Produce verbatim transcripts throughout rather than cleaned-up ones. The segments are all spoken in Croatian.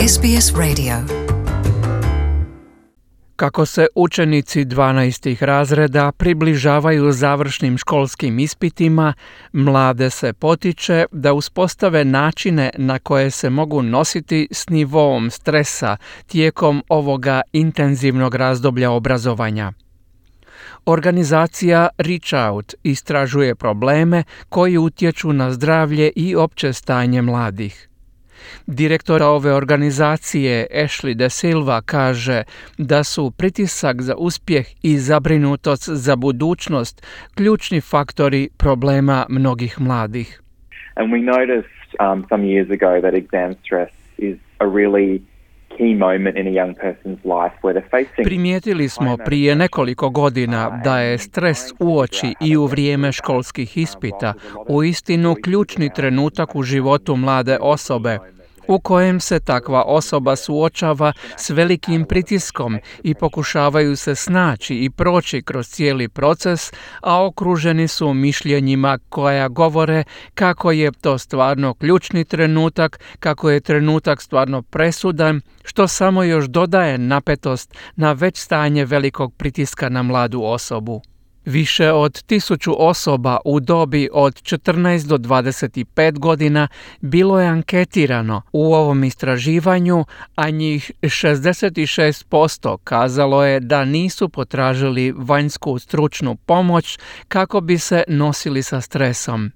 S B S Radio. Kako se učenici dvanaestih razreda približavaju završnim školskim ispitima, mlade se potiče da uspostave načine na koje se mogu nositi s nivoom stresa tijekom ovoga intenzivnog razdoblja obrazovanja. Organizacija Reach Out istražuje probleme koji utječu na zdravlje i opće stanje mladih. Direktor ove organizacije Ashley De Silva kaže da su pritisak za uspjeh i zabrinutost za budućnost ključni faktori problema mnogih mladih. And we noticed um, some years ago that exam stress is a really key moment in a young person's life where they're facing... Primijetili smo prije nekoliko godina da je stres uoči i u vrijeme školskih ispita uistinu ključni trenutak u životu mlade osobe, u kojem se takva osoba suočava s velikim pritiskom i pokušavaju se snaći i proći kroz cijeli proces, a okruženi su mišljenjima koja govore kako je to stvarno ključni trenutak, kako je trenutak stvarno presudan, što samo još dodaje napetost na već stanje velikog pritiska na mladu osobu. Više od tisuću osoba u dobi od četrnaest do dvadeset pet godina bilo je anketirano u ovom istraživanju, a njih šezdeset šest posto kazalo je da nisu potražili vanjsku stručnu pomoć kako bi se nosili sa stresom.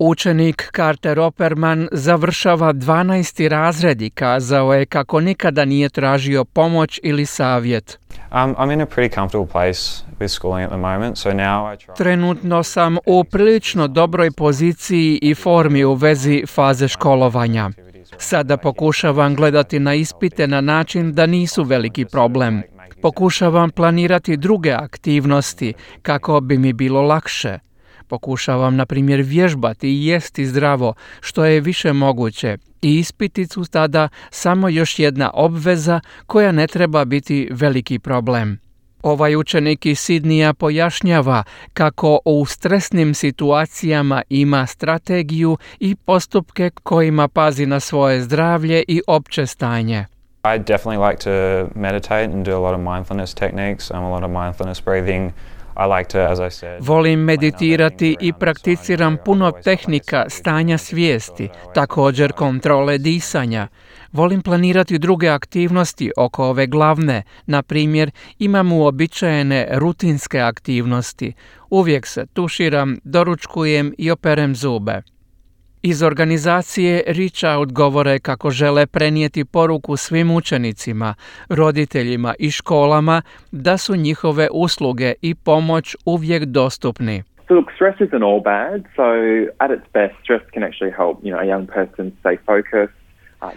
Učenik Carter Opperman završava dvanaesti razred i kazao je kako nikada nije tražio pomoć ili savjet. Um, I'm in a pretty comfortable place with schooling at the moment, so now I try... Trenutno sam u prilično dobroj poziciji i formi u vezi faze školovanja. Sada pokušavam gledati na ispite na način da nisu veliki problem. Pokušavam planirati druge aktivnosti kako bi mi bilo lakše. Pokušavam, na primjer, vježbati i jesti zdravo, što je više moguće. I ispiti su tada samo još jedna obveza koja ne treba biti veliki problem. Ovaj učenik iz Sidnija pojašnjava kako u stresnim situacijama ima strategiju i postupke kojima pazi na svoje zdravlje i opće stanje. I definitely like to meditate and do a lot of mindfulness techniques, um, a lot of mindfulness breathing. Volim meditirati i prakticiram puno tehnika stanja svijesti, također kontrole disanja. Volim planirati druge aktivnosti oko ove glavne, na primjer imam uobičajene rutinske aktivnosti. Uvijek se tuširam, doručkujem i operem zube. Iz organizacije Reach Out govore kako žele prenijeti poruku svim učenicima, roditeljima i školama da su njihove usluge i pomoć uvijek dostupni. So look, stress isn't all bad. So at its best, stress can actually help, you know, a young person stay focused.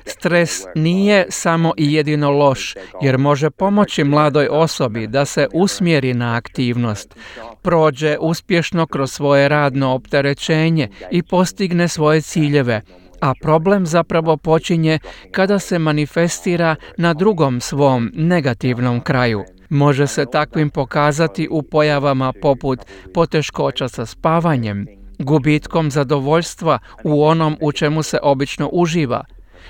Stres nije samo i jedino loš, jer može pomoći mladoj osobi da se usmjeri na aktivnost, prođe uspješno kroz svoje radno opterećenje i postigne svoje ciljeve, a problem zapravo počinje kada se manifestira na drugom svom negativnom kraju. Može se takvim pokazati u pojavama poput poteškoća sa spavanjem, gubitkom zadovoljstva u onom u čemu se obično uživa,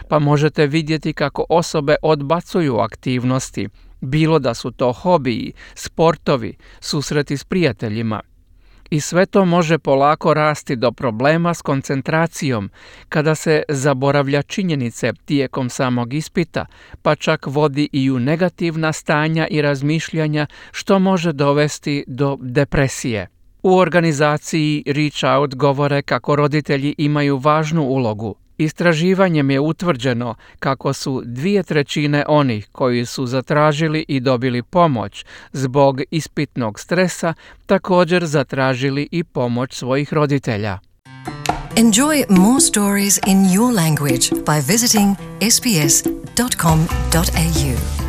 pa možete vidjeti kako osobe odbacuju aktivnosti, bilo da su to hobiji, sportovi, susreti s prijateljima. I sve to može polako rasti do problema s koncentracijom, kada se zaboravlja činjenice tijekom samog ispita, pa čak vodi i u negativna stanja i razmišljanja, što može dovesti do depresije. U organizaciji Reach Out govore kako roditelji imaju važnu ulogu. Istraživanjem je utvrđeno kako su dvije trećine onih koji su zatražili i dobili pomoć zbog ispitnog stresa također zatražili i pomoć svojih roditelja. Enjoy more stories in your language by visiting s b s dot com dot a u.